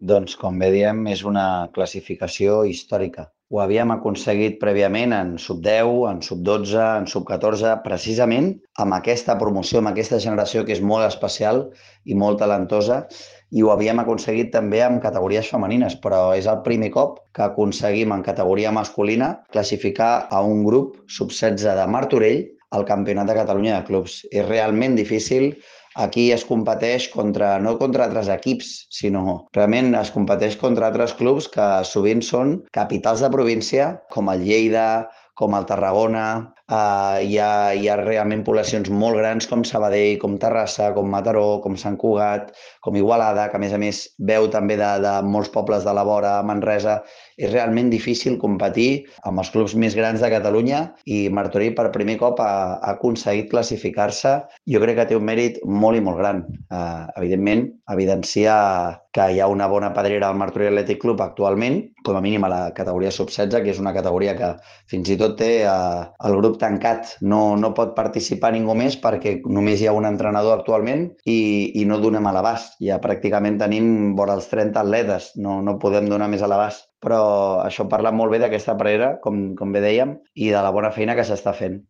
Doncs, com bé diem, és una classificació històrica. Ho havíem aconseguit prèviament en sub-10, en sub-12, en sub-14, precisament amb aquesta promoció, amb aquesta generació que és molt especial i molt talentosa, i ho havíem aconseguit també amb categories femenines, però és el primer cop que aconseguim en categoria masculina classificar a un grup sub-16 de Martorell al Campionat de Catalunya de Clubs. És realment difícil. Aquí es competeix no contra altres equips, sinó realment es competeix contra altres clubs que sovint són capitals de província, com el Lleida, com el Tarragona. Hi ha realment poblacions molt grans com Sabadell, com Terrassa, com Mataró, com Sant Cugat, com Igualada, que a més veu també de molts pobles de la vora, Manresa. És realment difícil competir amb els clubs més grans de Catalunya i Martorell per primer cop ha aconseguit classificar-se. Jo crec que té un mèrit molt i molt gran. Evidentment, evidencia que hi ha una bona pedrera al Martorell Athletic Club actualment, com a mínim a la categoria sub-16, que és una categoria que fins i tot té el grup tancat. No pot participar ningú més perquè només hi ha un entrenador actualment i no donem a l'abast. Ja pràcticament tenim vora els 30 atletes, no podem donar més a l'abast. Però això parla molt bé d'aquesta pedrera, com bé dèiem, i de la bona feina que s'està fent.